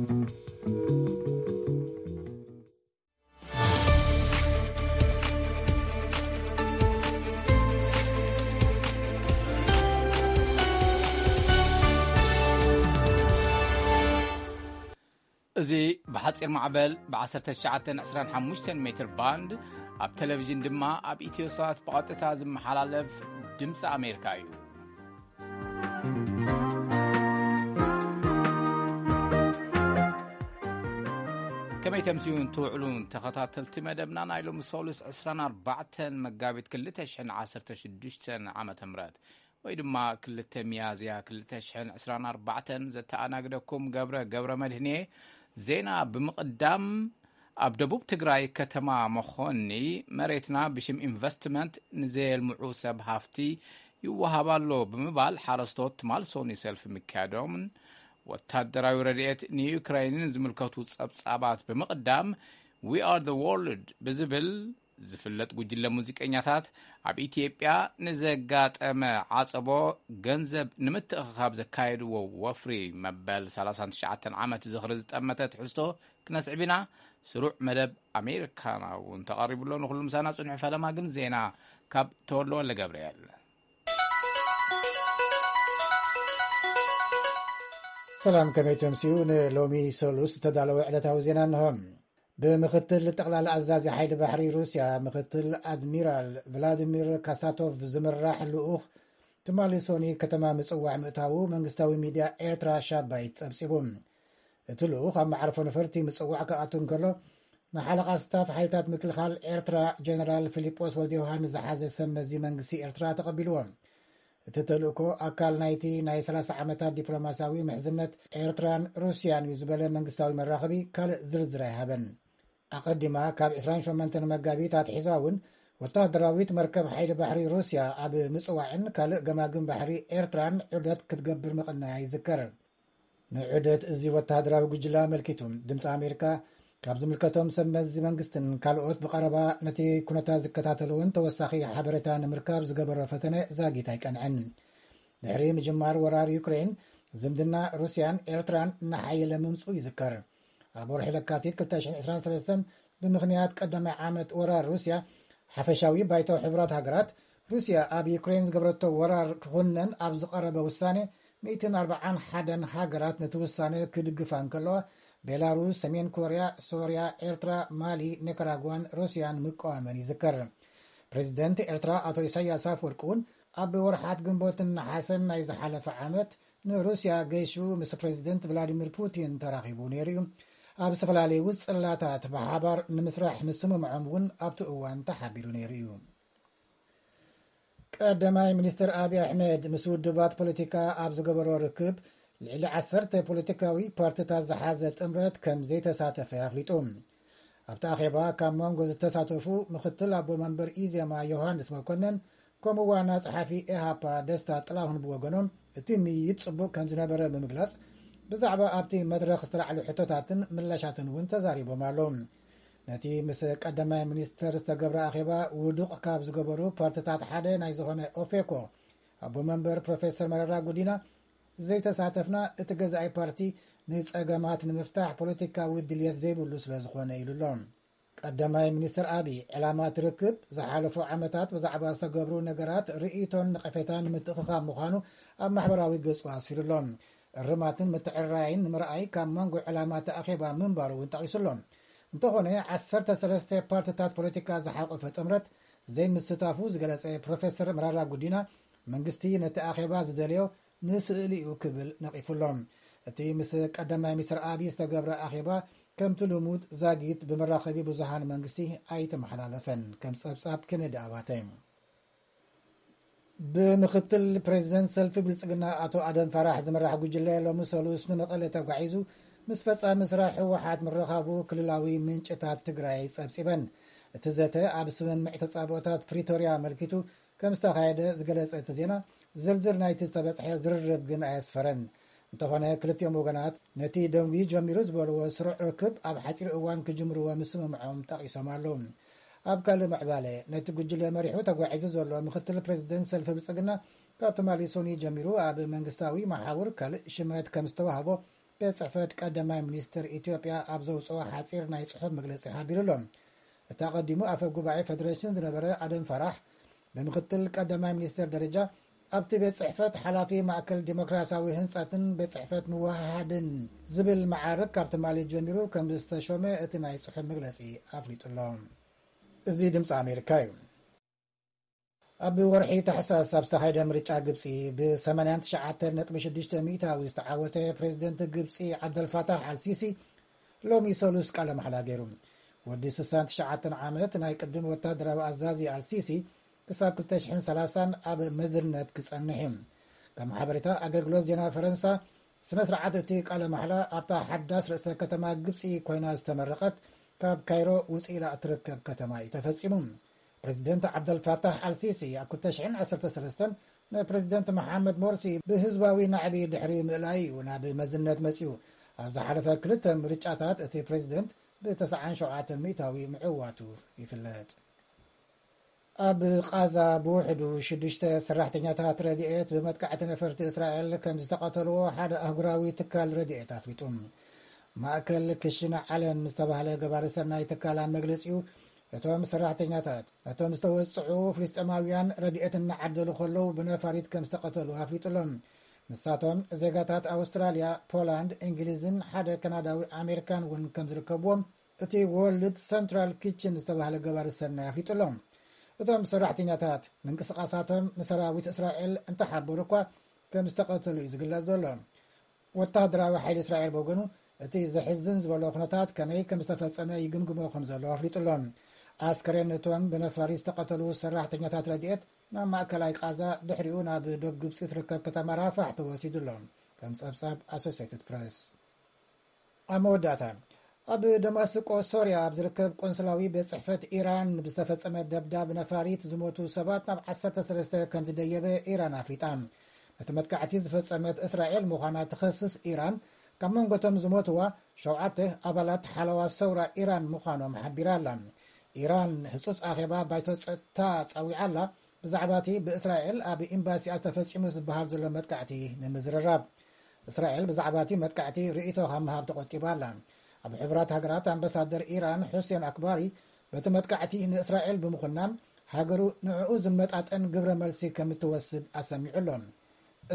እዚ ብሓጺር ማዕበል ብ1925 ሜትር ባንድ፣ ኣብ ቴሌቪዥን ድማ ኣብ ኢትዮሳት ብቐጥታ ዝመሓላለፍ ድምፂ ኣሜሪካ እዩ። ከመይ ተምስዩን ትውዕሉን ተኸታተልቲ መደብና፣ ናይ ሎሚ ሰሉስ 24 መጋቢት 2016 ዓመተ ምህረት፣ ወይ ድማ 2 ሚያዝያ 2024፣ ዘተኣናግደኩም ገብረ ገብረ መድህንየ። ዜና ብምቕዳም፣ ኣብ ደቡብ ትግራይ ከተማ መኾኒ መሬትና ብሽም ኢንቨስትመንት ንዘየልምዑ ሰብ ሃፍቲ ይወሃብ ኣሎ ብምባል ሓረስቶት ትማል ሰኒ ሰልፊ ምክያዶምን፣ ወታደራዊ ረድኤት ንዩክራይንን ዝምልከቱ ጸብጻባት ብምቕዳም፣ We Are the World ብዝብል ዝፍለጥ ጉጅለ ሙዚቀኛታት፣ ኣብ ኢትዮጵያ ንዘጋጠመ ዓጸቦ ገንዘብ ንምትእኽኻብ ዘካየድዎ ወፍሪ መበል 39 ዓመት ዝኽሪ ዝጠመተ ትሕዝቶ ክነስዕብ ኢና። ስሩዕ መደብ ኣሜሪካና እውን ተቐሪቡ ኣሎ። ንኹሉ ምሳና ጽንሑ። ፈለማ ግን ዜና ካብ ተወልደ ወልደ ገብርኤል። ሰላም፣ ከመይ ተምስዩ? ንሎሚ ሰሉስ ዝተዳለወ ዕለታዊ ዜና እንሆ። ብምክትል ጠቕላላ ኣዛዚ ሓይሊ ባሕሪ ሩስያ፣ ምክትል ኣድሚራል ቭላዲሚር ካሳቶቭ ዝምራሕ ልኡኽ፣ ትማሊ ሶኒ ከተማ ምጽዋዕ ምእታዉ መንግስታዊ ሚድያ ኤርትራ ሻባይት ጸብጺቡ። እቲ ልኡኽ ኣብ መዓርፎ ነፈርቲ ምጽዋዕ ክኣቱ እንከሎ፣ ንሓለቓ ስታፍ ሓይልታት ምክልኻል ኤርትራ ጀነራል ፊሊጶስ ወልደ ዮሃንስ ዝሓዘ ሰብ መዚ መንግስቲ ኤርትራ ተቐቢልዎ። እቲ ተልእኮ ኣካል ናይቲ ናይ 30 ዓመታት ዲፕሎማስያዊ ምሕዝነት ኤርትራን ሩስያን እዩ ዝበለ መንግስታዊ መራኸቢ ካልእ ዝርዝር ኣይሃበን። ኣቐዲማ ካብ 28 መጋቢት ኣትሒዛ እውን ወታደራዊት መርከብ ሓይሊ ባሕሪ ሩስያ ኣብ ምጽዋዕን ካልእ ገማግም ባሕሪ ኤርትራን ዑደት ክትገብር ምቕናያ ይዝከር። ንዑደት እዚ ወታደራዊ ጉጅለ ኣመልኪቱ ድምፂ ኣሜሪካ ካብ ዝምልከቶም ሰብ መዚ መንግስትን ካልኦት ብቐረባ ነቲ ኩነታት ዝከታተልዎን ተወሳኺ ሓበሬታ ንምርካብ ዝገበሮ ፈተነ ዛጊት ኣይቀንዐን። ድሕሪ ምጅማር ወራር ዩክሬን፣ ዝምድና ሩስያን ኤርትራን እናሓየለ ምምፅኡ ይዝከር። ኣብ ወርሒ ለካቲት 2023፣ ብምኽንያት ቀዳማይ ዓመት ወራር ሩስያ፣ ሓፈሻዊ ባይቶ ሕቡራት ሃገራት፣ ሩስያ ኣብ ዩክሬን ዝገበረቶ ወራር ክኹነን ኣብ ዝቐረበ ውሳኔ፣ 141 ሃገራት ነቲ ውሳኔ ክድግፋ እንከለዋ፣ ቤላሩስ፣ ሰሜን ኮርያ፣ ሶርያ፣ ኤርትራ፣ ማሊ፣ ኒካራጓን ሩስያን ምቅዋመን ይዝከር። ፕሬዚደንት ኤርትራ ኣቶ ኢሳያስ ኣፈወርቂ እውን ኣብ ወርሓት ግንቦትን ነሓሰን ናይ ዝሓለፈ ዓመት ንሩስያ ገይሹ ምስ ፕሬዚደንት ቭላዲሚር ፑቲን ተራኺቡ ነይሩ እዩ። ኣብ ዝተፈላለዩ ጽላታት ብሓባር ንምስራሕ ምስምምዖም እውን ኣብቲ እዋን ተሓቢሩ ነይሩ እዩ። ቀዳማይ ሚኒስትር ኣብይ ኣሕመድ ምስ ውድባት ፖለቲካ ኣብ ዝገበሮ ርክብ፣ ልዕሊ 10 ፖለቲካዊ ፓርቲታት ዝሓዘ ጥምረት ከም ዘይተሳተፈ ኣፍሊጡ። ኣብቲ ኣኼባ ካብ መንጎ ዝተሳተፉ ምክትል ኣቦ መንበር ኢዜማ ዮሃንስ መኮነን፣ ከምኡ ዋና ጸሓፊ ኤሃፓ ደስታ ጥላሁን ብወገኖም፣ እቲ ምይይጥ ጽቡቕ ከም ዝነበረ ብምግላጽ፣ ብዛዕባ ኣብቲ መድረኽ ዝተላዕሉ ሕቶታትን ምላሻትን እውን ተዛሪቦም ኣለዉ። ነቲ ምስ ቀዳማይ ሚኒስተር ዝተገብረ ኣኼባ ውዱቕ ካብ ዝገበሩ ፓርቲታት ሓደ ናይ ዝኾነ ኦፌኮ ኣቦ መንበር ፕሮፌሰር መረራ ጉዲና፣ ዘይተሳተፍና እቲ ገዛኢ ፓርቲ ንጸገማት ንምፍታሕ ፖለቲካዊ ድልየት ዘይብሉ ስለ ዝኾነ ኢሉ ኣሎ። ቀዳማይ ሚኒስትር ኣቢ፣ ዕላማ እቲ ርክብ ዝሓለፉ ዓመታት ብዛዕባ ዝተገብሩ ነገራት ርእይቶን ነቐፌታን ንምትእኽኻብ ምዃኑ ኣብ ማሕበራዊ ገጹ ኣስፊሩ ኣሎ። እርማትን ምትዕርራይን ንምርኣይ ካብ መንጎ ዕላማ እቲ ኣኼባ ምንባሩ እውን ጠቒሱ ኣሎ። እንተኾነ፣ 13 ፓርቲታት ፖለቲካ ዝሓቆፈ ጥምረት ዘይምስታፉ ዝገለጸ ፕሮፌሰር መራራ ጉዲና፣ መንግስቲ ነቲ ኣኼባ ዝደለዮ ንስእሊ እዩ ክብል ነቒፉ ኣሎ። እቲ ምስ ቀዳማይ ሚኒስትር ኣቢ ዝተገብረ ኣኼባ፣ ከምቲ ልሙድ ዛጊት ብመራኸቢ ብዙሃን መንግስቲ ኣይተመሓላለፈን። ከም ጸብጻብ ኬኔዲ ኣባተ። ብምክትል ፕሬዚደንት ሰልፊ ብልጽግና ኣቶ ኣደም ፋራሕ ዝምራሕ ጉጅለ፣ ሎሚ ሰሉስ ንመቐለ ተጓዒዙ ምስ ፈጻሚ ስራሕ ህወሓት ምርኻቡ ክልላዊ ምንጭታት ትግራይ ጸብጺበን። እቲ ዘተ ኣብ ስምምዕ ተጻብኦታት ፕሪቶርያ ኣመልኪቱ ከም ዝተኻየደ ዝገለጸ እቲ ዜና፣ ዝርዝር ናይቲ ዝተበጽሐ ዝርርብ ግን ኣየስፈረን። እንተኾነ፣ ክልቲኦም ወገናት ነቲ ደንጉዩ ጀሚሩ ዝበልዎ ስሩዕ ርክብ ኣብ ሓጺር እዋን ክጅምርዎ ምስምምዖም ጠቒሶም ኣለዉ። ኣብ ካልእ ምዕባለ፣ ነቲ ጉጅለ መሪሑ ተጓዒዙ ዘሎ ምክትል ፕሬዚደንት ሰልፊ ብልጽግና፣ ካብ ትማሊ ሶኒ ጀሚሩ ኣብ መንግስታዊ መሓውር ካልእ ሽመት ከም ዝተዋህቦ ቤት ጽሕፈት ቀዳማይ ሚኒስትር ኢትዮጵያ ኣብ ዘውፅኦ ሓፂር ናይ ጽሑፍ መግለፂ ሓቢሩ ኣሎ። እቲ ኣቐዲሙ ኣፈ ጉባኤ ፌደሬሽን ዝነበረ ኣደም ፈራሕ ብምክትል ቀዳማይ ሚኒስትር ደረጃ ኣብቲ ቤት ጽሕፈት ሓላፊ ማእከል ዲሞክራሲያዊ ህንጻትን ቤት ጽሕፈት ምውሃሃድን ዝብል መዓርግ ካብ ትማሊ ጀሚሩ ከም ዝተሾመ እቲ ናይ ጽሑፍ መግለጺ ኣፍሊጡ ኣሎ። እዚ ድምፂ ኣሜሪካ እዩ። ኣብ ወርሒ ታሕሳስ ኣብ ዝተኻየደ ምርጫ ግብፂ ብ89.6 ሚእታዊ ዝተዓወተ ፕሬዚደንት ግብፂ ዓብደልፋታሕ ኣልሲሲ ሎሚ ሰሉስ ቃለ ማሕላ ገይሩ። ወዲ 69 ዓመት ናይ ቅድም ወታደራዊ ኣዛዚ ኣልሲሲ ክሳብ 2030 ኣብ መዝነት ክጸንሕ እዩ። ከም ሓበሬታ ኣገልግሎት ዜና ፈረንሳ፣ ስነ ስርዓት እቲ ቃለ ማሕላ ኣብታ ሓዳስ ርእሰ ከተማ ግብፂ ኮይና ዝተመረቐት ካብ ካይሮ ውፅእ ኢላ እትርከብ ከተማ እዩ ተፈጺሙ። ፕሬዚደንት ዓብደልፋታሕ ኣልሲሲ ኣብ 2013 ንፕሬዚደንት መሓመድ ሞርሲ ብህዝባዊ ናዕቢ ድሕሪ ምእላይ እዩ ናብ መዝነት መጺኡ። ኣብ ዝሓለፈ ክልተ ምርጫታት እቲ ፕሬዚደንት ብ97 ሚእታዊ ምዕዋቱ ይፍለጥ። ኣብ ቓዛ ብውሕዱ ሽዱሽተ ሰራሕተኛታት ረድኤት ብመጥቃዕቲ ነፈርቲ እስራኤል ከም ዝተቐተልዎ ሓደ ኣህጉራዊ ትካል ረድኤት ኣፍሊጡ። ማእከል ክሽነ ዓለም ዝተባህለ ገባሪ ሰናይ ትካል ኣብ መግለጺኡ፣ እቶም ሰራሕተኛታት ነቶም ዝተወጽዑ ፍልስጤማውያን ረድኤት እናዓደሉ ከለዉ ብነፋሪት ከም ዝተቐተሉ ኣፍሊጡ ኣሎ። ንሳቶም ዜጋታት ኣውስትራልያ፣ ፖላንድ፣ እንግሊዝን ሓደ ካናዳዊ ኣሜሪካን እውን ከም ዝርከብዎም እቲ ወርልድ ሰንትራል ኪችን ዝተባህለ ገባሪ ሰናይ ኣፍሊጡ ኣሎ። እቶም ሰራሕተኛታት ምንቅስቓሳቶም ንሰራዊት እስራኤል እንተሓበሩ እኳ ከም ዝተቐተሉ እዩ ዝግለጽ ዘሎ። ወታደራዊ ሓይሊ እስራኤል ብወገኑ እቲ ዘሕዝን ዝበሎ ኩነታት ከመይ ከም ዝተፈጸመ ይግምግሞ ከም ዘሎ ኣፍሊጡ ኣሎ። ኣስከሬን እቶም ብነፋሪ ዝተቐተሉ ሰራሕተኛታት ረድኤት ናብ ማእከላይ ቃዛ፣ ድሕሪኡ ናብ ዶብ ግብፂ ትርከብ ከተማ ራፋሕ ተወሲዱ ኣሎ፣ ከም ጸብጻብ ኣሶሲየትድ ፕረስ። ኣብ መወዳእታ፣ ኣብ ደማስቆ ሶርያ ኣብ ዝርከብ ቆንስላዊ ቤት ጽሕፈት ኢራን ብዝተፈጸመ ደብዳብ ነፋሪት ዝሞቱ ሰባት ናብ 13 ከም ዝደየበ ኢራን ኣፍሊጣ። ነቲ መጥቃዕቲ ዝፈጸመት እስራኤል ምዃና ትኸስስ ኢራን፣ ካብ መንጎቶም ዝሞትዋ ሸውዓተ ኣባላት ሓለዋ ሰውራ ኢራን ምዃኖም ሓቢራ ኣላ። ኢራን ህጹጽ ኣኼባ ባይቶ ጸጥታ ጸዊዓ ኣላ፣ ብዛዕባ እቲ ብእስራኤል ኣብ ኤምባሲኣ ተፈጺሙ ዝበሃል ዘሎ መጥቃዕቲ ንምዝርራብ። እስራኤል ብዛዕባ እቲ መጥቃዕቲ ርእይቶ ካብ ምሃብ ተቖጢባ ኣላ። ኣብ ሕቡራት ሃገራት ኣምባሳደር ኢራን ሑሴን ኣክባሪ፣ በቲ መጥቃዕቲ ንእስራኤል ብምኹናን፣ ሃገሩ ንዕኡ ዝመጣጠን ግብረ መልሲ ከም እትወስድ ኣሰሚዑ ኣሎ።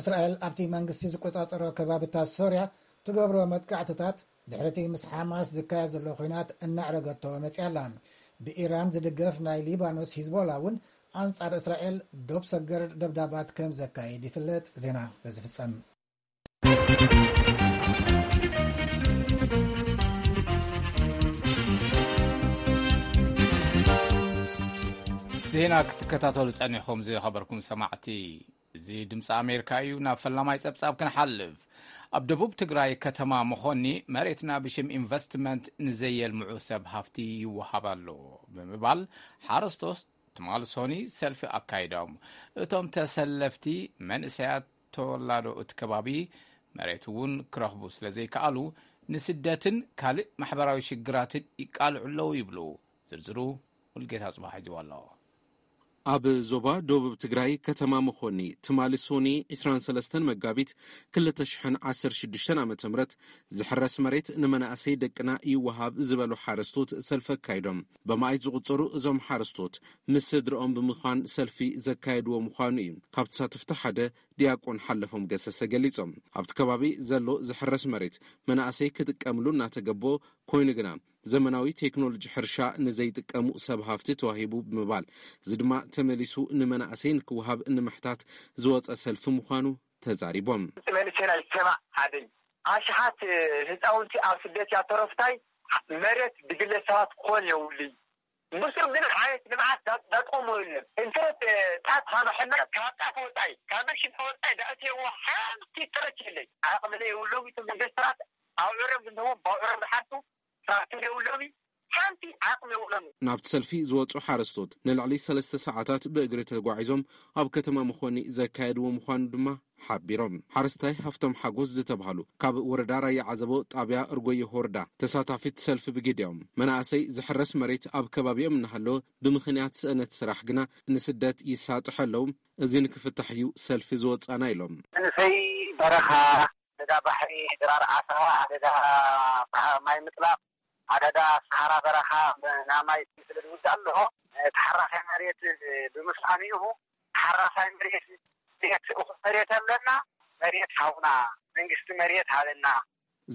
እስራኤል ኣብቲ መንግስቲ ዝቆጻጸሮ ከባብታት ሶርያ ትገብሮ መጥቃዕትታት፣ ድሕሪቲ ምስ ሓማስ ዝካየድ ዘሎ ኲናት እናዕረገቶ መጽያ ኣላ። ብኢራን ዝድገፍ ናይ ሊባኖስ ሂዝቦላ እውን ኣንጻር እስራኤል ዶብ ሰገር ደብዳባት ከም ዘካይድ ይፍለጥ። ዜና በዚ ፍጸም። ዜና ክትከታተሉ ጸኒሕኩም ዝኸበርኩም ሰማዕቲ፣ እዚ ድምፂ ኣሜሪካ እዩ። ናብ ፈላማይ ጸብጻብ ክንሓልፍ። ኣብ ደቡብ ትግራይ ከተማ መኾኒ መሬትና ብሽም ኢንቨስትመንት ንዘየልምዑ ሰብ ሃፍቲ ይወሃብ ኣሎ ብምባል ሓረስቶት ትማሊ ሰኒ ሰልፊ ኣካይዶም። እቶም ተሰለፍቲ መንእሰያት ተወላዶ እቲ ከባቢ መሬት እውን ክረኽቡ ስለ ዘይከኣሉ ንስደትን ካልእ ማሕበራዊ ሽግራትን ይቃልዑ ኣለዉ ይብሉ። ዝርዝሩ ሙልጌታ ጽባሕ ሒዝዎ ኣሎ። ኣብ ዞባ ደቡብ ትግራይ ከተማ መኾኒ ትማሊ ሶኒ 23 መጋቢት 2016 ዓ ም ዝሕረስ መሬት ንመናእሰይ ደቅና ይወሃብ ዝበሉ ሓረስቶት ሰልፊ ኣካይዶም። በማይት ዝቑጸሩ እዞም ሓረስቶት ምስ ስድረኦም ብምዃን ሰልፊ ዘካየድዎ ምዃኑ እዩ ካብ ተሳተፍቲ ሓደ ዲያቆን ሓለፎም ገሰሰ ገሊጾም። ኣብቲ ከባቢ ዘሎ ዝሕረስ መሬት መናእሰይ ክጥቀምሉ እናተገቦ ኮይኑ ግና ዘመናዊ ቴክኖሎጂ ሕርሻ ንዘይጥቀሙ ሰብ ሃፍቲ ተዋሂቡ ብምባል፣ እዚ ድማ ተመሊሱ ንመናእሰይ ንክወሃብ ንምሕታት ዝወፀ ሰልፊ ምዃኑ ተዛሪቦም። መንእሰይና ይሰማዕ ሓደይ ኣሽሓት ህፃውንቲ ኣብ ስደት ያተረፍታይ መሬት ብግለሰባት ክኾን የብሉይ። ምስኡ ግን ዓይነት ልምዓት ዳ- ዳጥቆሞ የለን። እንተ ጣት ሃመሐና ካብ ጣት ወፃኢ ካብ መሽን ወፃኢ ዳእትየዎ ሓንቲ ጥረት የለይ። ዓቕሚ የብሎም ኢቶም ኢንቨስተራት ኣብ ዕረም ዝንህዎም ብኣብ ዕረም ዝሓርሱ ትራክተር የብሎምን፣ ሓንቲ ዓቕሚ የብሎምን። ናብቲ ሰልፊ ዝወጹ ሓረስቶት ንልዕሊ ሰለስተ ሰዓታት ብእግሪ ተጓዒዞም ኣብ ከተማ መኾኒ ዘካየድዎ ምዃኑ ድማ ሓቢሮም። ሓረስታይ ሃፍቶም ሓጎስ ዝተባህሉ ካብ ወረዳ ራያ ዓዘቦ ጣብያ እርጎየ ወረዳ ተሳታፊት ሰልፊ ብግዲኦም፣ መናእሰይ ዝሕረስ መሬት ኣብ ከባቢኦም እናሃለወ ብምኽንያት ስእነት ስራሕ ግና ንስደት ይሳጥሑ ኣለዉ። እዚ ንክፍታሕ እዩ ሰልፊ ዝወጻና ኢሎም። መንእሰይ በረኻ ኣደዳ ባሕሪ፣ ድራር ዓሳ፣ ኣደዳ ማይ ምጥላቕ፣ ኣደዳ ሰሃራ በረኻ፣ ናብ ማይ ስለ ዝውዳእ ኣሎ። ተሓራሳይ መሬት ብምስኣኑ ኢኹ። ተሓራሳይ መሬት፣ መሬት፣ እኹል መሬት ኣለና። መሬት ሃቡና፣ መንግስቲ መሬት ሃበና።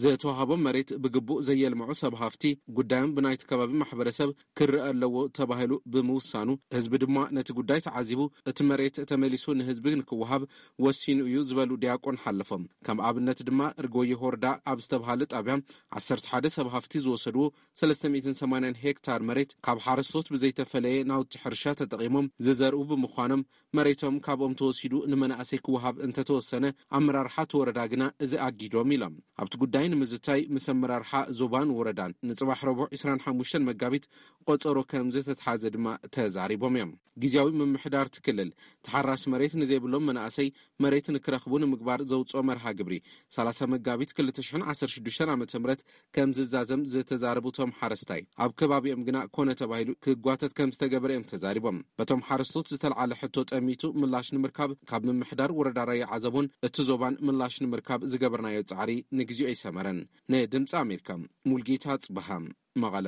ዝተዋህቦም መሬት ብግቡእ ዘየልምዑ ሰብ ሃፍቲ፣ ጉዳዮም ብናይቲ ከባቢ ማሕበረሰብ ክረአ ኣለዎ ተባሂሉ ብምውሳኑ፣ ህዝቢ ድማ ነቲ ጉዳይ ተዓዚቡ፣ እቲ መሬት ተመሊሱ ንህዝቢ ንክወሃብ ወሲኑ እዩ ዝበሉ ዲያቆን ሓለፎም፣ ከም ኣብነት ድማ እርጎየ ሆርዳ ኣብ ዝተብሃለ ጣብያ ዓሰርተ ሓደ ሰብ ሃፍቲ ዝወሰድዎ ሰለስተ ሚእትን ሰማንያን ሄክታር መሬት ካብ ሓረስቶት ብዘይተፈለየ ናውቲ ሕርሻ ተጠቒሞም ዝዘርኡ ብምዃኖም፣ መሬቶም ካብኦም ተወሲዱ ንመናእሰይ ክወሃብ እንተተወሰነ፣ ኣመራርሓ እቲ ወረዳ ግና እዚ ኣጊዶም ኢሎም። ኣብቲ ጉዳይ ንምዝታይ ምስ ኣመራርሓ ዞባን ወረዳን ንጽባሕ ረቡዕ ዕስራን ሓሙሽተን መጋቢት ቆጸሮ ከም ዝተትሓዘ ድማ ተዛሪቦም እዮም። ግዝያዊ ምምሕዳር እቲ ክልል፣ ተሓራሲ መሬት ንዘይብሎም መናእሰይ መሬት ንክረኽቡ ንምግባር ዘውጽኦ መርሃ ግብሪ፣ ሰላሳ መጋቢት ክልተ ሽሕን ዓሰርተ ሽዱሽተን ዓመተ ምህረት ከም ዝዛዘም ዝተዛረቡ እቶም ሓረስታይ፣ ኣብ ከባቢኦም ግና ኮነ ተባሂሉ ክጓተት ከም ዝተገበረ እዮም ተዛሪቦም። በቶም ሓረስቶት ዝተልዓለ ሕቶ ጠሚቱ ምላሽ ንምርካብ ካብ ምምሕዳር ወረዳ ራያ ዓዘቦን እቲ ዞባን ምላሽ ንምርካብ ዝገበርናዮ ጻዕሪ ንግዜኡ ኣይሰመረን። ንድምጺ ኣሜሪካ፣ ሙልጌታ ጽበሃ፣ መቐለ።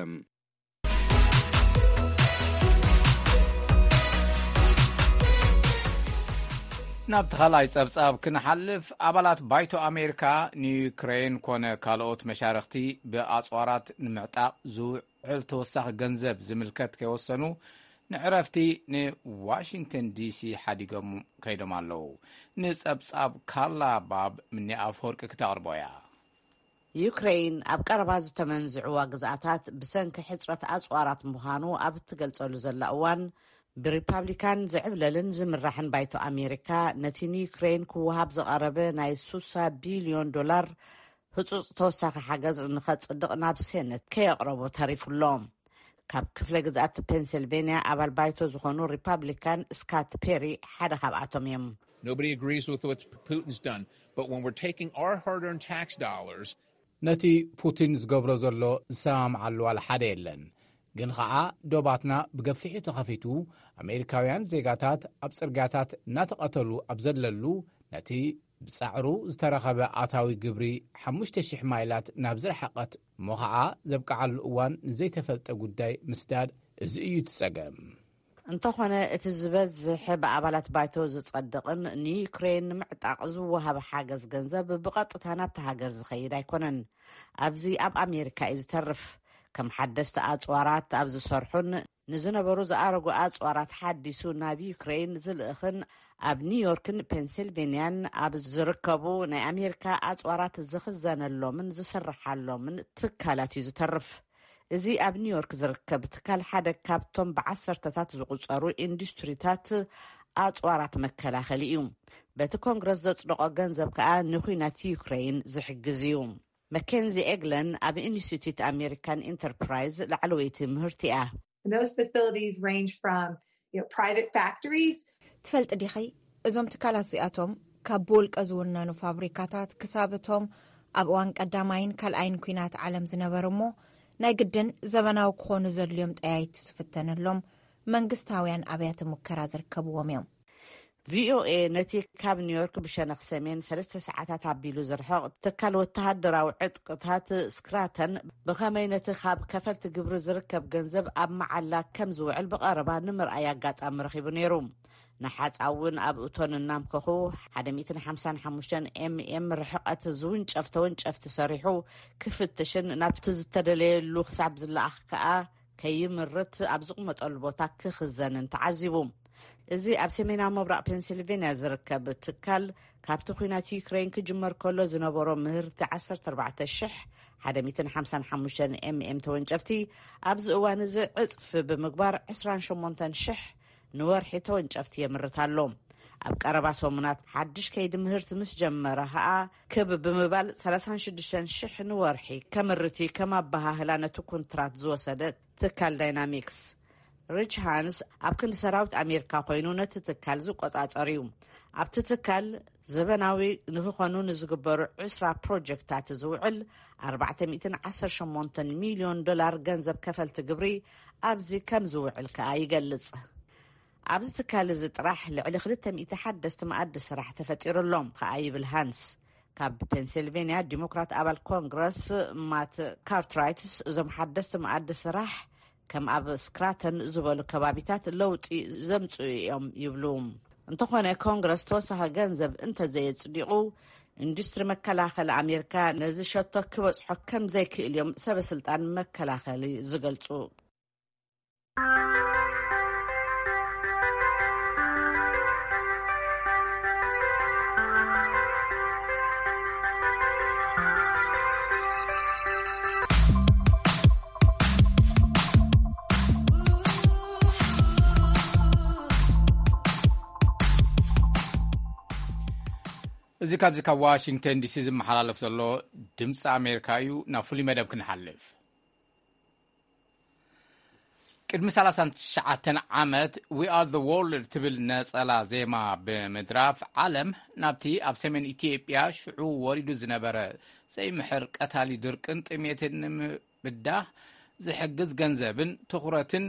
ናብቲ ካልኣይ ጸብጻብ ክንሓልፍ፣ ኣባላት ባይቶ ኣሜሪካ ንዩክሬን ኮነ ካልኦት መሻርኽቲ ብኣጽዋራት ንምዕጣቕ ዝውዕል ተወሳኺ ገንዘብ ዝምልከት ከይወሰኑ ንዕረፍቲ ንዋሽንግተን ዲሲ ሓዲጎም ከይዶም ኣለዉ። ንጸብጻብ ካርላ ባብ ምኒ ኣፍወርቂ ክተቕርቦ እያ። ዩክሬን ኣብ ቀረባ ዝተመንዝዕዋ ግዝኣታት ብሰንኪ ሕጽረት ኣጽዋራት ምዃኑ ኣብ እትገልጸሉ ዘላ እዋን፣ ብሪፓብሊካን ዝዕብለልን ዝምራሕን ባይቶ ኣሜሪካ፣ ነቲ ንዩክሬን ክወሃብ ዝቐረበ ናይ ሱሳ ቢልዮን ዶላር ህጹጽ ተወሳኺ ሓገዝ ንኸጽድቕ ናብ ሴነት ከየቕረቦ ተሪፉ ኣሎ። ካብ ክፍለ ግዝኣት ፔንሲልቬንያ ኣባል ባይቶ ዝኾኑ ሪፓብሊካን ስካት ፔሪ ሓደ ካብኣቶም እዮም። Nobody agrees with what Putin's done, but when we're taking our hard-earned tax dollars ነቲ ፑቲን ዝገብሮ ዘሎ ዝሰማምዓሉ ዋላ ሓደ የለን። ግን ኸኣ ዶባትና ብገፊሑ ተኸፊቱ፣ ኣሜሪካውያን ዜጋታት ኣብ ጽርግያታት እናተቐተሉ ኣብ ዘለሉ፣ ነቲ ብጻዕሩ ዝተረኸበ ኣታዊ ግብሪ ሓሙሽተ ሽሕ ማይላት ናብ ዝረሓቐት እሞ ኸኣ ዘብቅዓሉ እዋን ንዘይተፈልጠ ጉዳይ ምስዳድ፣ እዚ እዩ እቲ ጸገም። እንተኾነ፣ እቲ ዝበዝሕ ብኣባላት ባይቶ ዝጸድቕን ንዩክሬን ንምዕጣቕ ዝወሃብ ሓገዝ ገንዘብ ብቐጥታ ናብቲ ሃገር ዝኸይድ ኣይኮነን። ኣብዚ ኣብ ኣሜሪካ እዩ ዝተርፍ። ከም ሓደስቲ ኣጽዋራት ኣብ ዝሰርሑን ንዝነበሩ ዝኣረጉ ኣጽዋራት ሓዲሱ ናብ ዩክሬን ዝልእኽን ኣብ ኒውዮርክን ፔንሲልቬንያን ኣብ ዝርከቡ ናይ ኣሜሪካ ኣጽዋራት ዝኽዘነሎምን ዝስርሓሎምን ትካላት እዩ ዝተርፍ። እዚ ኣብ ኒውዮርክ ዝርከብ ትካል ሓደ ካብቶም ብዓሰርተታት ዝቑጸሩ ኢንዱስትሪታት ኣጽዋራት መከላኸሊ እዩ። በቲ ኮንግረስ ዘጽደቖ ገንዘብ ከኣ ንኹናት ዩክሬን ዝሕግዝ እዩ። መኬንዚ ኤግለን ኣብ ኢንስቲትዩት ኣሜሪካን ኢንተርፕራይዝ ላዕለወይቲ ምህርቲ እያ። And those facilities range from you know, private factories. ትፈልጢ ዲኺ? እዞም ትካላት እዚኣቶም ካብ ብውልቀ ዝውነኑ ፋብሪካታት ክሳብ እቶም ኣብ እዋን ቀዳማይን ካልኣይን ኲናት ዓለም ዝነበሩ እሞ ናይ ግድን ዘበናዊ ክኾኑ ዘድልዮም ጠያይቲ ዝፍተነሎም መንግስታውያን ኣብያተ ሙከራ ዝርከብዎም እዮም። ቪኦኤ ነቲ ካብ ኒውዮርክ ብሸነኽ ሰሜን ሰለስተ ሰዓታት ኣቢሉ ዝርሕቕ ትካል ወተሃደራዊ ዕጥቅታት ስክራተን ብኸመይ ነቲ ካብ ከፈልቲ ግብሪ ዝርከብ ገንዘብ ኣብ መዓላ ከም ዝውዕል ብቐረባ ንምርኣይ ኣጋጣሚ ረኺቡ ነይሩ። ንሓጻ እውን ኣብ እቶን እናምከኹ ሓደ ሚእትን ሓምሳን ሓሙሽተን ኤምኤም ርሕቐት ዝውንጨፍ ተወንጨፍቲ ሰሪሑ ክፍትሽን ናብቲ ዝተደለየሉ ክሳብ ዝለኣኽ ከኣ ከይምርት ኣብ ዝቕመጠሉ ቦታ ክኽዘንን ተዓዚቡ። እዚ ኣብ ሰሜናዊ ምብራቕ ፔንሲልቬንያ ዝርከብ ትካል ካብቲ ኲናት ዩክሬን ክጅመር ከሎ ዝነበሮ ምህርቲ ዓሰርተ ኣርባዕተ ሽሕ ሓደ ሚእትን ሓምሳን ሓሙሽተን ኤምኤም ተወንጨፍቲ ኣብዚ እዋን እዚ ዕጽፊ ብምግባር ዕስራን ሸሞንተን ሽሕ ንወርሒ ተወንጨፍቲ የምርት ኣሎ። ኣብ ቀረባ ሰሙናት ሓድሽ ከይዲ ምህርቲ ምስ ጀመረ ኸኣ ክብ ብምባል ሰላሳን ሽዱሽተን ሽሕ ንወርሒ ከምርት እዩ ከም ኣበሃህላ ነቲ ኩንትራት ዝወሰደ ትካል ዳይናሚክስ። ሪች ሃንስ ኣብ ክንዲ ሰራዊት ኣሜሪካ ኮይኑ ነቲ ትካል ዝቆጻጸር እዩ። ኣብቲ ትካል ዘበናዊ ንክኾኑ ንዝግበሩ ዕስራ ፕሮጀክታት ዝውዕል ኣርባዕተ ሚእትን ዓሰርተ ሸሞንተን ሚልዮን ዶላር ገንዘብ ከፈልቲ ግብሪ ኣብዚ ከም ዝውዕል ከኣ ይገልጽ። ኣብዚ ትካል እዚ ጥራሕ ልዕሊ ክልተ ሚእቲ ሓደስቲ መኣዲ ስራሕ ተፈጢሩ ኣሎ ከኣ ይብል ሃንስ። ካብ ፔንሲልቬንያ ዲሞክራት ኣባል ኮንግረስ ማት ካርትራይትስ፣ እዞም ሓደስቲ መኣዲ ስራሕ ከም ኣብ ስክራተን ዝበሉ ከባቢታት ለውጢ ዘምፅኡ እዮም ይብሉ። እንተኾነ ኮንግረስ ተወሳኺ ገንዘብ እንተዘየፅዲቑ፣ ኢንዱስትሪ መከላኸሊ ኣሜሪካ ነዚ ሸቶ ክበፅሖ ከም ዘይክእል እዮም ሰበ ስልጣን መከላኸሊ ዝገልፁ። እዚ ካብዚ ካብ ዋሽንግተን ዲሲ ዝመሓላለፍ ዘሎ ድምፂ ኣሜሪካ እዩ። ናብ ፍሉይ መደብ ክንሓልፍ። ቅድሚ ሰላሳን ትሽዓተን ዓመት We Are the World ትብል ነጸላ ዜማ ብምድራፍ ዓለም ናብቲ ኣብ ሰሜን ኢትዮጵያ ሽዑ ወሪዱ ዝነበረ ዘይምሕር ቀታሊ ድርቅን ጥሜትን ንምብዳህ ዝሕግዝ ገንዘብን ትኹረትን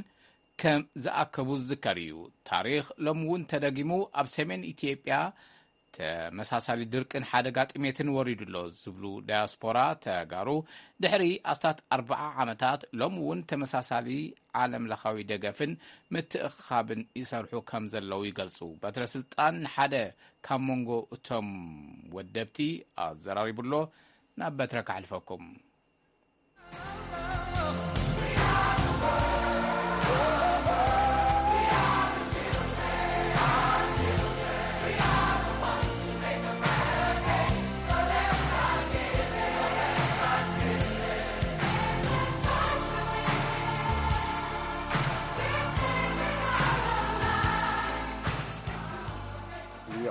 ከም ዝኣከቡ ዝዝከር እዩ። ታሪኽ ሎሚ እውን ተደጊሙ ኣብ ሰሜን ኢትዮጵያ ተመሳሳሊ ድርቅን ሓደጋ ጥሜትን ወሪዱ ኣሎ ዝብሉ ዳያስፖራ ተጋሩ፣ ድሕሪ ኣስታት ኣርብዓ ዓመታት ሎም እውን ተመሳሳሊ ዓለም ለኻዊ ደገፍን ምትእኻብን ይሰርሑ ከም ዘለዉ ይገልጹ። በትረ ስልጣን ሓደ ካብ መንጎ እቶም ወደብቲ ኣዘራሪቡ ኣሎ። ናብ በትረ ካሕልፈኩም።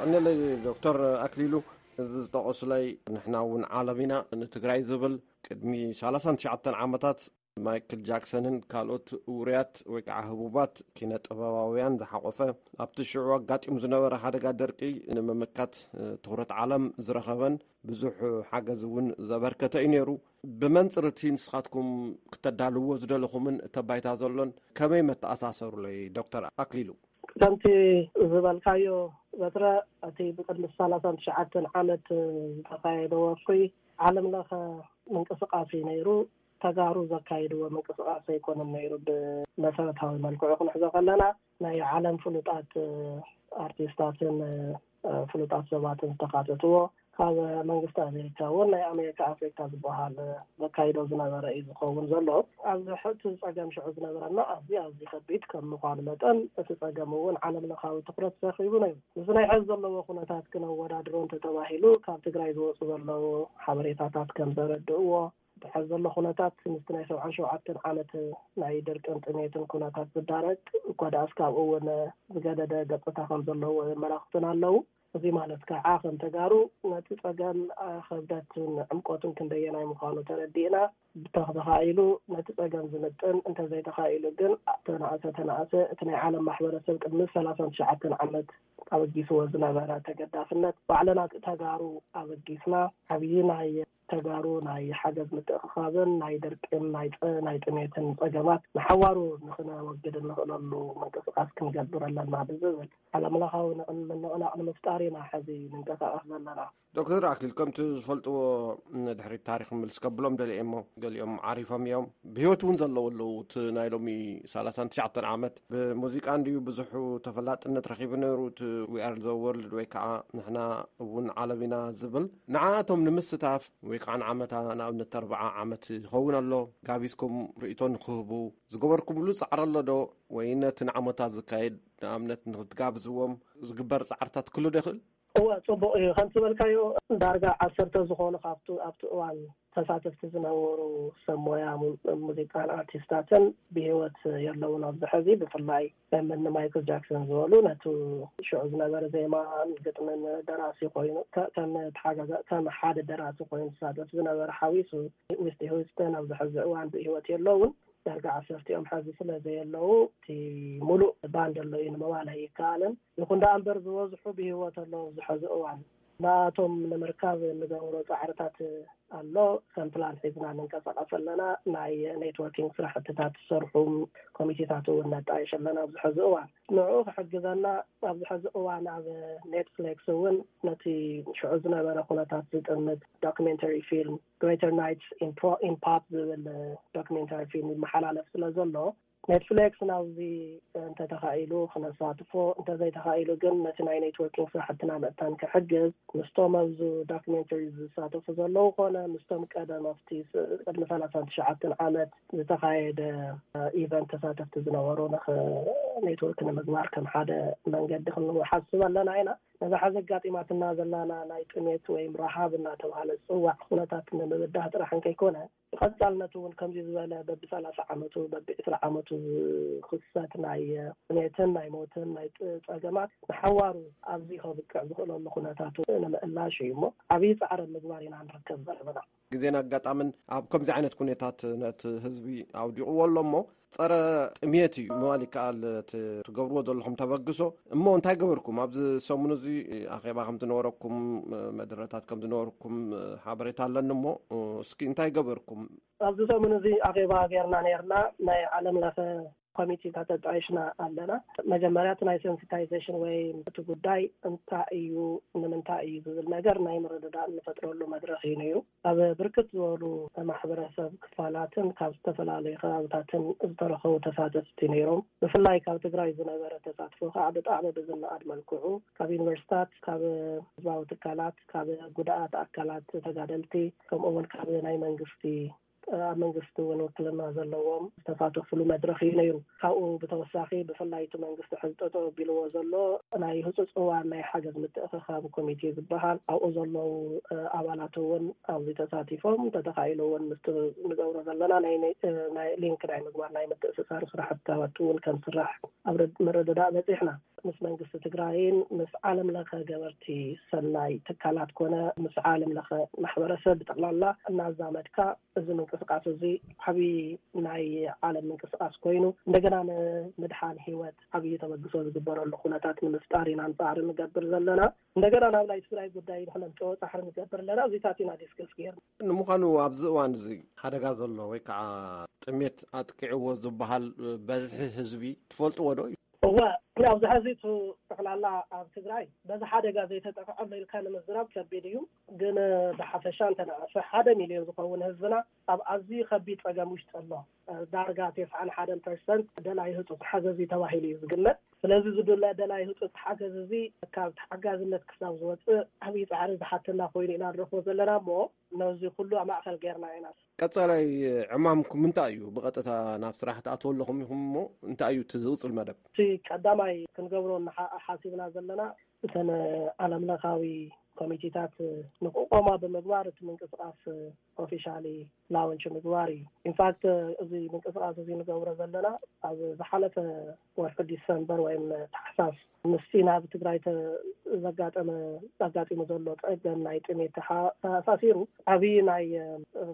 ይቕነለይ ዶክተር ኣክሊሉ፣ እዚ ዝጠቐሱለይ፣ ንሕና እውን ዓለም ኢና ንትግራይ ዝብል ቅድሚ ሰላሳን ትሽዓተን ዓመታት ማይክል ጃክሰንን ካልኦት ውሩያት ወይ ከዓ ህቡባት ኪነ ጥበባውያን ዝሓቆፈ፣ ኣብቲ ሽዑ ኣጋጢሙ ዝነበረ ሓደጋ ደርቂ ንምምካት ትኹረት ዓለም ዝረኸበን ብዙሕ ሓገዝ እውን ዘበርከተ እዩ ነይሩ። ብመንፅር እቲ ንስኻትኩም ክተዳልዎ ዝደለኹምን እተባይታ ዘሎን ከመይ መተኣሳሰሩለይ ዶክተር ኣክሊሉ? ከምቲ ዝበልካዮ በትረ፣ እቲ ብቅድሚ ሰላሳን ትሽዓተን ዓመት ዝተኻየደ ወፍሪ ዓለም ለኸ ምንቅስቃስ እዩ ነይሩ። ተጋሩ ዘካይድዎ ምንቅስቃስ ኣይኮነን ነይሩ። ብመሰረታዊ መልክዑ ክንሕዞ ከለና፣ ናይ ዓለም ፍሉጣት ኣርቲስታትን ፍሉጣት ሰባትን ዝተካተትዎ፣ ካብ መንግስቲ ኣሜሪካ እውን ናይ ኣሜሪካ ኣፍሪካ ዝበሃል ዘካይዶ ዝነበረ እዩ ዝኸውን ዘሎ። ኣብዚ ሕቲ ጸገም ሽዑ ዝነበረና ኣዝዩ ኣዝዩ ከቢድ ከም ምዃኑ መጠን፣ እቲ ጸገም እውን ዓለም ለኻዊ ትኩረት ረኺቡ ነይሩ። ምስ ናይ ሕዚ ዘለዎ ኩነታት ክነወዳድሮ እንተተባሂሉ፣ ካብ ትግራይ ዝወፁ ዘለዉ ሓበሬታታት ከም ዘረድእዎ፣ እቲ ሕዚ ዘሎ ኩነታት ምስቲ ናይ ሰብዓን ሸውዓተን ዓመት ናይ ድርቅን ጥሜትን ኩነታት ዝዳረግ እኳ ደኣስ ካብኡ እውን ዝገደደ ገፅታ ከም ዘለዎ የመላኽቱን ኣለዉ። እዚ ማለት ከዓ ከም ተጋሩ ነቲ ፀገም ከብደትን ዕምቆትን ክንደየናይ ምዃኑ ተረዲእና፣ ብተኽ ተኻኢሉ ነቲ ፀገም ዝምጥን፣ እንተዘይተኻኢሉ ግን ተናእሰ ተናእሰ እቲ ናይ ዓለም ማሕበረሰብ ቅድሚ ሰላሳን ትሽዓተን ዓመት ኣበጊስዎ ዝነበረ ተገዳስነት ባዕልና ተጋሩ ኣበጊስና ዓብዪ ናይ ተጋሩ ናይ ሓገዝ ምትእኽኻብን ናይ ድርቅን ናይ ጥ-፣ ናይ ጥሜትን ጸገማት ንሓዋሩ ንኽነወግድ እንኽእለሉ ምንቅስቃስ ክንገብር ኣለና ብዝብል ዓለምለኻዊ ንቕን-፣ ምንቕናቕ ንምፍጣር ኢና ሕዚ ንንቀሳቐስ ዘለና። ዶክተር ኣክሊል፣ ከምቲ ዝፈልጥዎ፣ ንድሕሪት ታሪኽ ምልስ ከብሎም ደልየ እሞ፣ ገሊኦም ዓሪፎም እዮም። ብህይወት እውን ዘለዉ ኣለዉ። እቲ ናይ ሎሚ ሰላሳን ትሽዓተን ዓመት ብሙዚቃ እንድዩ ብዙሕ ተፈላጥነት ረኺቡ ነይሩ፣ እቲ We Are the World ወይ ከዓ ንሕና እውን ዓለም ኢና ዝብል። ንዓኣቶም ንምስታፍ ወይ ከዓ ንዓመታ፣ ንኣብነት ኣርብዓ ዓመት ይኸውን ኣሎ፣ ጋቢዝኩም ርእይቶ ንክህቡ ዝገበርኩምሉ ጻዕሪ ኣሎ ዶ? ወይ ነቲ ንዓመታ ዝካየድ፣ ንኣብነት ንክትጋብዝዎም ዝግበር ጻዕርታት ክህሉ ዶ ይኽእል? እወ፣ ጽቡቕ እዩ። ከም ዝበልካዮ፣ ዳርጋ ዓሰርተ ዝኾኑ ካብቱ ኣብቲ እዋን ተሳተፍቲ ዝነበሩ ሰብ ሞያ ሙ-፣ ሙዚቃን ኣርቲስታትን ብህይወት የለውን ኣብዚ ሕዚ። ብፍላይ ከም እኒ ማይክል ጃክሰን ዝበሉ ነቱ ሽዑ ዝነበረ ዜማን ግጥምን ደራሲ ኮይኑ፣ ከ-፣ ከም ተሓጋጋ-፣ ከም ሓደ ደራሲ ኮይኑ ዝሳተፍ ዝነበረ ሓዊሱ፣ ዊትኒ ሂውስተን ኣብዚ ሕዚ እዋን ብህይወት የለውን። ዳርጋ ዓሰርቲኦም ሕዚ ስለ ዘየለዉ፣ እቲ ሙሉእ ባንድ ኣሎ እዩ ንምባል ኣይከኣልን። ይኹን ደኣ እምበር፣ ዝበዝሑ ብህይወት ኣለዉ ኣብዚ ሕዚ እዋን። ንኣቶም ንምርካብ እንገብሮ ጻዕርታት ኣሎ። ከም ፕላን ሒዝና ንንቀሳቐስ ኣለና። ናይ ኔትወርኪንግ ስራሕትታት ዝሰርሑ ኮሚቴታት እውን ነጣይሽ ኣለና። ኣብዚ ሕዚ እዋን ንዕኡ ክሕግዘና ኣብዚ ሕዚ እዋን ኣብ ኔትፍሊክስ እውን ነቲ ሽዑ ዝነበረ ኩነታት ዝጥምት ዶክሜንተሪ ፊልም ግሬተር ናይትስ ኢን ፖፕ ዝብል ዶክሜንተሪ ፊልም ይመሓላለፍ ስለ ዘሎ፣ ኔትፍሊክስ ናብዚ እንተተኻኢሉ ክነሳትፎ፣ እንተዘይተኻኢሉ ግን ነቲ ናይ ኔትወርኪንግ ስራሕትና ምእታን ክሕግዝ፣ ምስቶም ኣብዚ ዶክሜንተሪ ዝሳተፉ ዘለዉ ኮነ ምስቶም ቀደም ኣብቲ ስ- ቅድሚ ሰላሳን ትሽዓተን ዓመት ዝተኻየደ ኢቨንት ተሳተፍቲ ዝነበሩ ንኽ- ኔትወርክ ንምግባር ከም ሓደ መንገዲ ክንሓስብ ኣለና ኢና። ነዛ ሓዚ ኣጋጢማትና ዘላና ናይ ጥሜት ወይም ረሃብ እናተባሃለ ዝፅዋዕ ኩነታት ንምብዳህ ጥራሕ እንከይኮነ፣ ብቐፃልነቱ እውን ከምዚ ዝበለ በቢ ሰላሳ ዓመቱ፣ በቢ ዕስራ ዓመቱ ዝኽሰት ናይ ጥሜትን ናይ ሞትን ናይ ጥ- ፀገማት ንሓዋሩ ኣብዚ ከብቅዕ ዝኽእለሉ ኩነታቱ ንምእላሽ እዩ እሞ ዓብዪ ፃዕሪ ምግባር ኢና ንርከብ ዘለና። ግዜን ኣጋጣምን ኣብ ከምዚ ዓይነት ኩነታት ነቲ ህዝቢ ኣውዲቕዎ ኣሎ እሞ፣ ጸረ ጥሜት እዩ ምባል ይከኣል። እቲ ትገብርዎ ዘለኹም ተበግሶ እሞ እንታይ ገበርኩም? ኣብዚ ሰሙን እዚ ኣኼባ ከም ዝነበረኩም፣ መደረታት ከም ዝነበርኩም ሓበሬታ ኣለኒ እሞ፣ እስኪ እንታይ ገበርኩም? ኣብዚ ሰሙን እዚ ኣኼባ ጌርና ነርና። ናይ ዓለም ለኸ ኮሚቴታት ኣጣይሽና ኣለና። መጀመርያ እቲ ናይ ሴንሲታይዜሽን ወይ እቲ ጉዳይ እንታይ እዩ፣ ንምንታይ እዩ ዝብል ነገር ናይ ምርድዳእ እንፈጥረሉ መድረኽ እዩ ነይሩ። ኣብ ብርክት ዝበሉ ማሕበረሰብ ክፋላትን ካብ ዝተፈላለዩ ከባብታትን ዝተረኸቡ ተሳተፍቲ ነይሮም። ብፍላይ ካብ ትግራይ ዝነበረ ተሳትፎ ከዓ ብጣዕሚ ብዝነኣድ መልክዑ ካብ ዩኒቨርሲታት፣ ካብ ህዝባዊ ትካላት፣ ካብ ጉዳኣት ኣካላት ተጋደልቲ፣ ከምኡ እውን ካብ ናይ መንግስቲ ኣብ መንግስቲ እውን ውክልና ዘለዎም ዝተሳተፉሉ መድረኽ እዩ ነይሩ። ካብኡ ብተወሳኺ ብፍላይ እቲ መንግስቲ ሕዚ ጠጠው ኣቢልዎ ዘሎ ናይ ህፁፅ እዋን ናይ ሓገዝ ምትእኽኻብ ኮሚቴ ዝበሃል ኣብኡ ዘለዉ ኣባላት እውን ኣብዚ ተሳቲፎም ተተኻኢሉ እውን ምስቲ ንገብሮ ዘለና ናይ ናይ ሊንክ ናይ ምግባር ናይ ምትእስሳር ስራሕትታት እውን ከም ስራሕ ኣብ ምርድዳእ በፂሕና። ምስ መንግስቲ ትግራይን ምስ ዓለም ለኸ ገበርቲ ሰናይ ትካላት ኮነ ምስ ዓለም ለኸ ማሕበረሰብ ብጠቕላላ እናዛመድካ እዚ ምንቅስቃስ እዚ ዓብዪ ናይ ዓለም ምንቅስቃስ ኮይኑ እንደገና ንምድሓን ህይወት ዓብዪ ተበግሶ ዝግበረሉ ኩነታት ንምፍጣር ኢና ንፃዕሪ ንገብር ዘለና። እንደገና ናብ ናይ ትግራይ ጉዳይ ንክነምፅኦ ፃዕሪ ንገብር ኣለና። እዚታት ኢና ዲስከስ ገይርና። ንምዃኑ ኣብዚ እዋን እዚ ሓደጋ ዘሎ ወይ ከዓ ጥሜት ኣጥቂዕዎ ዝበሃል በዝሒ ህዝቢ ትፈልጥዎ ዶ? እወ፣ ኣብዚ ሕዚ እቲ ጠቕላላ ኣብ ትግራይ በዚ ሓደጋ ዘይተጠቕዐ ኣሎ ኢልካ ንምዝራብ ከቢድ እዩ። ግን ብሓፈሻ እንተነኣሰ ሓደ ሚልዮን ዝኸውን ህዝብና ኣብ ኣዝዩ ከቢድ ጸገም ውሽጢ ኣሎ። ዳርጋ ተስዓን ሓደን ፐርሰንት ደላይ ህጹጽ ሓገዝ እዩ ተባሂሉ እዩ ዝግመት። ስለዚ ዝድለ ደላይ ህጹጽ ሓገዝ እዚ ካብ ተሓጋዝነት ክሳብ ዝወጽእ ዓብዪ ጻዕሪ ዝሓተና ኮይኑ ኢና ንረኽቦ ዘለና እሞ ነዚ ኩሉ ኣብ ማእከል ጌርና ኢና። ቀጻላይ ዕማምኩም እንታይ እዩ? ብቐጥታ ናብ ስራሕ ትኣትዉ ኣለኹም ኢኹም እሞ እንታይ እዩ እቲ ዝቕጽል መደብ? እቲ ቀዳማይ ክንገብሮ እናሓ- ሓሲብና ዘለና እተን ዓለም ለኻዊ ኮሚቴታት ንክቆማ ብምግባር እቲ ምንቅስቃስ ኦፊሻሊ ላውንች ምግባር እዩ። ኢንፋክት እዚ ምንቅስቃስ እዚ ንገብሮ ዘለና ኣብ ዝሓለፈ ወርሒ ዲሰምበር ወይም ታሕሳስ ምስቲ ናብ ትግራይ ተ- ዘጋጠመ ኣጋጢሙ ዘሎ ጸገም ናይ ጥሜት ተሓ- ተኣሳሲሩ ዓብዪ ናይ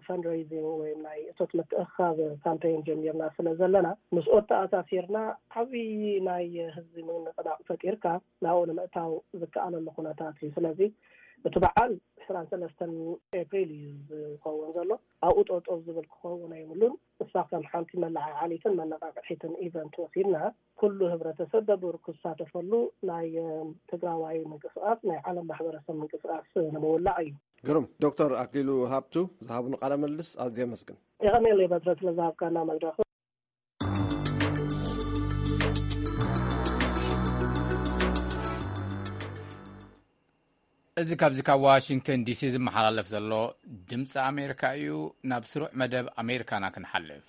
ፈንድሬዚንግ ወይም ናይ እቶት ምትእኽኻብ ካምፔን ጀሚርና ስለ ዘለና ምስኡ ተኣሳሲርና ዓብዪ ናይ ህዝቢ ምንቅናቕ ፈጢርካ ናብኡ ንምእታው ዝከኣለሉ ኩነታት እዩ። ስለዚ እቲ በዓል ዕስራን ሰለስተን ኤፕሪል እዩ ዝኸውን ዘሎ። ኣብኡ ጠጠው ዝብል ክኸውን ኣይብሉን። እሳ ከም ሓንቲ መለዓዓሊትን መነቃቅሒትን ኢቨንት ወሲድና ኩሉ ህብረተሰብ በብር ክሳተፈሉ ናይ ትግራዋይ ምንቅስቃስ ናይ ዓለም ማሕበረሰብ ምንቅስቃስ ንምውላዕ እዩ። ግሩም። ዶክተር ኣክሊሉ ሃብቱ ዝሃቡን ቃለ ምልልስ ኣዝየ ኣመስግን። የቐኔለይ በትረ ስለ ዝሃብካና መድረኽ። እዚ ካብዚ ካብ ዋሽንግተን ዲሲ ዝመሓላለፍ ዘሎ ድምፂ ኣሜሪካ እዩ። ናብ ስሩዕ መደብ ኣሜሪካና ክንሓልፍ።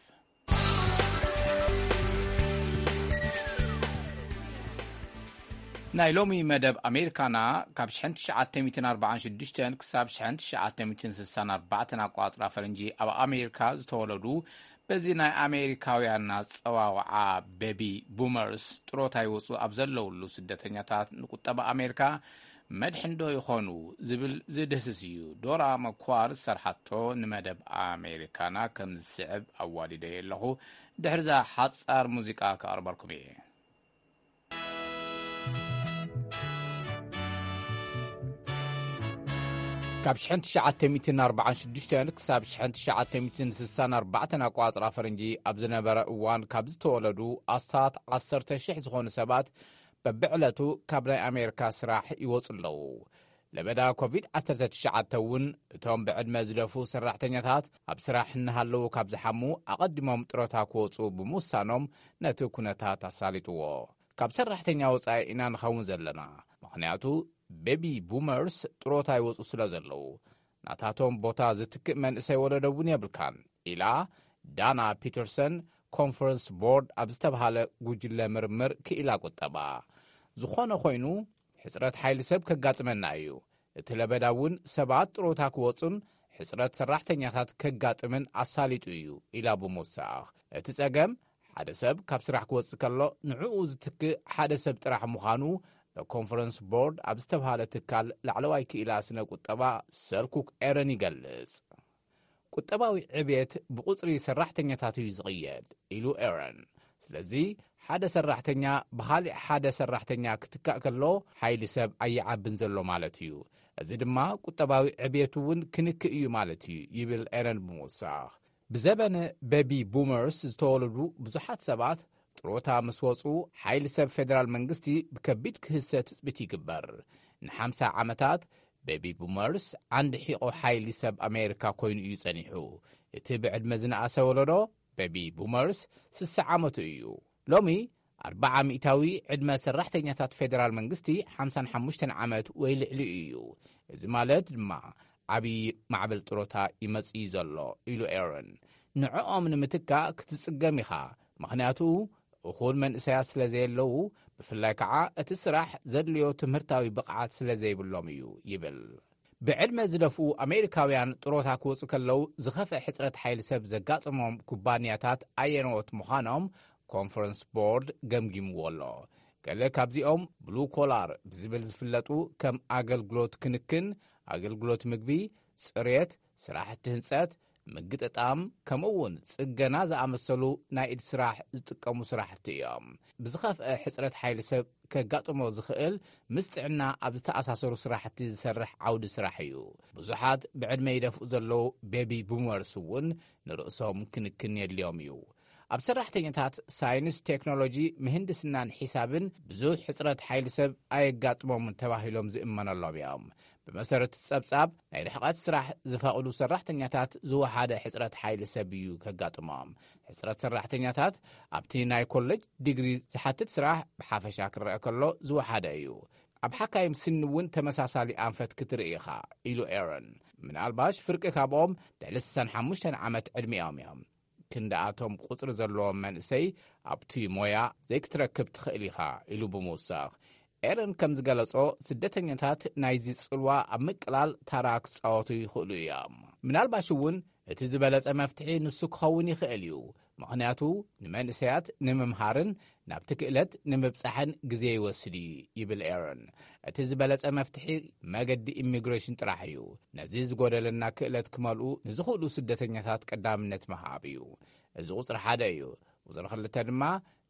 ናይ ሎሚ መደብ ኣሜሪካና ካብ ሽሕን ትሽዓተ ሚእትን ኣርባዓን ሽዱሽተን ክሳብ ሽሕን ትሽዓተ ሚእትን ስሳን ኣርባዕተን ኣቋፅራ ፈረንጂ ኣብ ኣሜሪካ ዝተወለዱ፣ በዚ ናይ ኣሜሪካውያን ኣፀዋውዓ ቤቢ ቡመርስ ጥሮታ ይወፁ ኣብ ዘለውሉ ስደተኛታት ንቁጠባ ኣሜሪካ መድሕን ዶ ይኾኑ ዝብል ዝድህስስ እዩ። ዶራ መኳር ዝሰርሓቶ ንመደብ ኣሜሪካና ከም ዝስዕብ ኣዋዲደዮ ኣለኹ። ድሕርዛ ሓጻር ሙዚቃ ከቕርበልኩም እየ። ካብ ሽሕን ትሽዓተ ሚእትን ኣርባዓን ሽዱሽተን ክሳብ ሽሕን ትሽዓተ ሚእትን ስሳን ኣርባዕተን ኣቋጽራ ፈረንጂ ኣብ ዝነበረ እዋን፣ ካብ ዝተወለዱ ኣስታት ዓሰርተ ሽሕ ዝኾኑ ሰባት፣ በብዕለቱ ካብ ናይ ኣሜሪካ ስራሕ ይወጹ ኣለዉ። ለበዳ ኮቪድ ዓሰርተ ትሽዓተ እውን፣ እቶም ብዕድመ ዝደፉ ሰራሕተኛታት ኣብ ስራሕ እናሃለዉ ካብ ዝሓሙ፣ ኣቐዲሞም ጥሮታ ክወጹ ብምውሳኖም፣ ነቲ ኩነታት ኣሳሊጥዎ። ካብ ሰራሕተኛ ወጻኢ ኢና ንኸውን ዘለና፣ ምኽንያቱ ቤቢ ቡመርስ ጥሮታ ይወጹ ስለ ዘለዉ፣ ናታቶም ቦታ ዝትክእ መንእሰይ ወለዶ እውን የብልካን፣ ኢላ ዳና ፒተርሰን፣ ኮንፈረንስ ቦርድ ኣብ ዝተብሃለ ጉጅለ ምርምር ክኢላ ቁጠባ። ዝኾነ ኮይኑ፣ ሕጽረት ሓይሊ ሰብ ከጋጥመና እዩ። እቲ ለበዳ እውን ሰባት ጥሮታ ክወጹን ሕጽረት ሰራሕተኛታት ከጋጥምን ኣሳሊጡ እዩ፣ ኢላ ብምውሳኽ። እቲ ጸገም፣ ሓደ ሰብ ካብ ስራሕ ክወጽእ ከሎ፣ ንዕኡ ዝትክእ ሓደ ሰብ ጥራሕ ምዃኑ፣ በኮንፈረንስ ቦርድ ኣብ ዝተብሃለ ትካል ላዕለዋይ ክኢላ ስነ ቁጠባ ሰርኩክ ኤረን ይገልጽ። ቁጠባዊ ዕብየት ብቁጽሪ ሰራሕተኛታት እዩ ዝቕየድ፣ ኢሉ ኤረን። ስለዚ፣ ሓደ ሰራሕተኛ ብኻሊእ ሓደ ሰራሕተኛ ክትካእ ከሎ፣ ሓይሊ ሰብ ኣይዓብን ዘሎ ማለት እዩ። እዚ ድማ ቁጠባዊ ዕብየቱ እውን ክንክእ እዩ ማለት እዩ፣ ይብል ኤረን ብምውሳኽ። ብዘበነ ቤቢ ቡመርስ ዝተወለዱ ብዙሓት ሰባት ጥሮታ ምስ ወጹ፣ ሓይሊ ሰብ ፌደራል መንግስቲ ብከቢድ ክህሰ ትጽቢት ይግበር። ንሓምሳ ዓመታት፣ ቤቢ ቡመርስ ዓንዲ ሒቆ ሓይሊ ሰብ ኣሜሪካ ኮይኑ እዩ ጸኒሑ። እቲ ብዕድመ ዝነኣሰ ወለዶ፣ ቤቢ ቡመርስ፣ ስሳ ዓመቱ እዩ። ሎሚ፣ ኣርብዓ ሚእታዊ ዕድመ ሰራሕተኛታት ፌደራል መንግስቲ ሓምሳን ሓሙሽተን ዓመት ወይ ልዕሊኡ እዩ። እዚ ማለት ድማ፣ ዓብዪ ማዕበል ጥሮታ ይመጽእ ዘሎ፣ ኢሉ ኤረን። ንዕኦም ንምትካእ ክትጽገም ኢኻ፣ ምኽንያቱ፣ እኹል መንእሰያት ስለ ዘየለዉ፣ ብፍላይ ከዓ እቲ ስራሕ ዘድልዮ ትምህርታዊ ብቕዓት ስለ ዘይብሎም እዩ፣ ይብል። ብዕድመ ዝደፍኡ ኣሜሪካውያን ጥሮታ ክወጹ ከለዉ፣ ዝኸፍአ ሕጽረት ሓይሊ ሰብ ዘጋጥሞም ኩባንያታት ኣየነዎት ምዃኖም ኮንፈረንስ ቦርድ ገምጊምዎ ኣሎ። ገለ ካብዚኦም ብሉ ኮላር ብዝብል ዝፍለጡ፣ ከም ኣገልግሎት ክንክን፣ ኣገልግሎት ምግቢ፣ ጽሬት፣ ስራሕቲ ህንጸት፣ ምግጥጣም፣ ከምኡ እውን ጽገና ዝኣመሰሉ ናይ ኢድ ስራሕ ዝጥቀሙ ስራሕቲ እዮም። ብዝኸፍአ ሕጽረት ሓይሊ ሰብ ከጋጥሞ ዝኽእል፣ ምስ ጥዕና ኣብ ዝተኣሳሰሩ ስራሕቲ ዝሰርሕ ዓውዲ ስራሕ እዩ። ብዙሓት ብዕድመ ይደፍኡ ዘለዉ ቤቢ ቡመርስ እውን ንርእሶም ክንክን የድልዮም እዩ። ኣብ ሰራሕተኛታት ሳይንስ፣ ቴክኖሎጂ፣ ምህንድስናን ሒሳብን ብዙሕ ሕጽረት ሓይሊ ሰብ ኣየጋጥሞምን ተባሂሎም ዝእመነሎም እዮም። ብመሰረት ጸብጻብ፣ ናይ ርሕቐት ስራሕ ዝፈቕዱ ሰራሕተኛታት ዝወሓደ ሕጽረት ሓይሊ ሰብ እዩ ከጋጥሞም። ሕጽረት ሰራሕተኛታት ኣብቲ ናይ ኮሌጅ ዲግሪ ዝሓትት ስራሕ ብሓፈሻ ክረአ ከሎ ዝወሓደ እዩ። ኣብ ሓካይም ስኒ እውን ተመሳሳሊ ኣንፈት ክትርኢ ኢኻ፣ ኢሉ ኤረን። ምናልባሽ ፍርቂ ካብኦም ልዕሊ ስሳን ሓሙሽተን ዓመት ዕድሚኦም እዮም። ክንድኣቶም ቁጽሪ ዘለዎም መንእሰይ ኣብቲ ሞያ ዘይክትረክብ ትኽእል ኢኻ፣ ኢሉ ብምውሳኽ። ኤረን ከም ዝገለጾ፣ ስደተኛታት ናይዚ ጽልዋ ኣብ ምቅላል ታራ ክጻወቱ ይኽእሉ እዮም። ምናልባሽ እውን እቲ ዝበለጸ መፍትሒ ንሱ ክኸውን ይኽእል እዩ፣ ምኽንያቱ ንመንእሰያት ንምምሃርን ናብቲ ክእለት ንምብጻሕን ግዜ ይወስድ እዩ፣ ይብል ኤረን። እቲ ዝበለጸ መፍትሒ መገዲ ኢሚግሬሽን ጥራሕ እዩ። ነዚ ዝጎደለና ክእለት ክመልኡ ንዝኽእሉ ስደተኛታት ቀዳምነት ምሃብ እዩ። እዚ ቁጽሪ ሓደ እዩ። ቁጽሪ ክልተ ድማ፣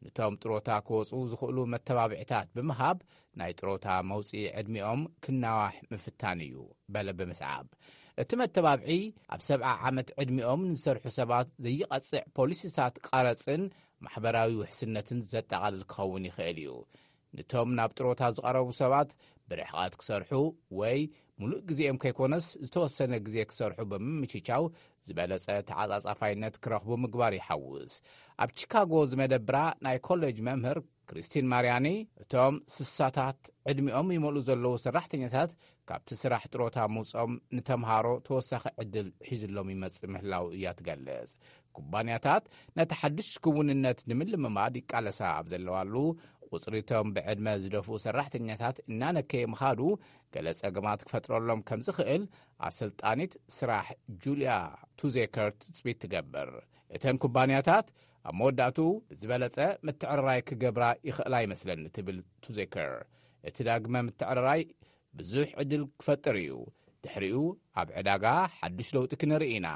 ነቶም ጥሮታ ክወጹ ዝኽእሉ መተባብዒታት ብምሃብ፣ ናይ ጥሮታ መውጽኢ ዕድሚኦም ክናዋሕ ምፍታን እዩ፣ በለ ብምስዓብ። እቲ መተባብዒ፣ ኣብ ሰብዓ ዓመት ዕድሚኦም ንዝሰርሑ ሰባት ዘይቐጽዕ ፖሊሲታት ቀረጽን ማሕበራዊ ውሕስነትን ዘጠቓልል ክኸውን ይኽእል እዩ። ነቶም ናብ ጥሮታ ዝቐረቡ ሰባት፣ ብርሕቐት ክሰርሑ ወይ ምሉእ ግዜኦም ከይኮነስ፣ ዝተወሰነ ግዜ ክሰርሑ ብምምችቻው፣ ዝበለጸ ተዓጻጻፋይነት ክረኽቡ ምግባር ይሓውስ። ኣብ ቺካጎ ዝመደብራ ናይ ኮሌጅ መምህር ክሪስቲን ማርያኒ፣ እቶም ስሳታት ዕድሚኦም ይመልኡ ዘለዉ ሰራሕተኛታት፣ ካብቲ ስራሕ ጥሮታ ምውጽኦም፣ ንተምሃሮ ተወሳኺ ዕድል ሒዝሎም ይመጽእ ምህላው እያ ትገልጽ። ኩባንያታት ነቲ ሓድሽ ክውንነት ንምልምማድ ይቃለሳ ኣብ ዘለዋሉ፣ ቁጽሪ እቶም ብዕድመ ዝደፍኡ ሰራሕተኛታት እናነከየ ምኻዱ፣ ገለ ጸገማት ክፈጥረሎም ከም ዝኽእል ኣሰልጣኒት ስራሕ ጁልያ ቱዜከር ትጽቢት ትገብር። እተን ኩባንያታት ኣብ መወዳእቱ ብዝበለጸ ምትዕርራይ ክገብራ ይኽእላ ይመስለኒ፣ ትብል ቱዜከር። እቲ ዳግመ ምትዕርራይ ብዙሕ ዕድል ክፈጥር እዩ። ድሕሪኡ ኣብ ዕዳጋ ሓድሽ ለውጢ ክንርኢ ኢና።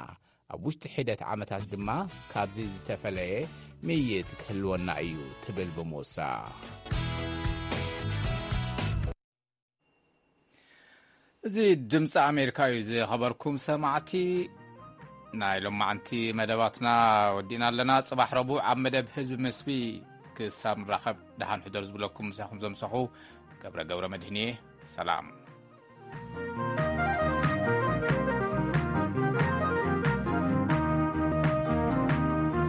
ኣብ ውሽጢ ሒደት ዓመታት ድማ ካብዚ ዝተፈለየ ምይይጥ ክህልወና እዩ፣ ትብል ብምውሳኽ። እዚ ድምፂ ኣሜሪካ እዩ። ዝኸበርኩም ሰማዕቲ፣ ናይ ሎማዓንቲ መደባትና ወዲእና ኣለና። ፅባሕ ረቡዕ ኣብ መደብ ህዝቢ ምስቢ ክሳብ ንራኸብ፣ ደሓን ሕደሩ ዝብለኩም ምሳኹም ዘምሰኹ ገብረ ገብረ መድህን እየ። ሰላም።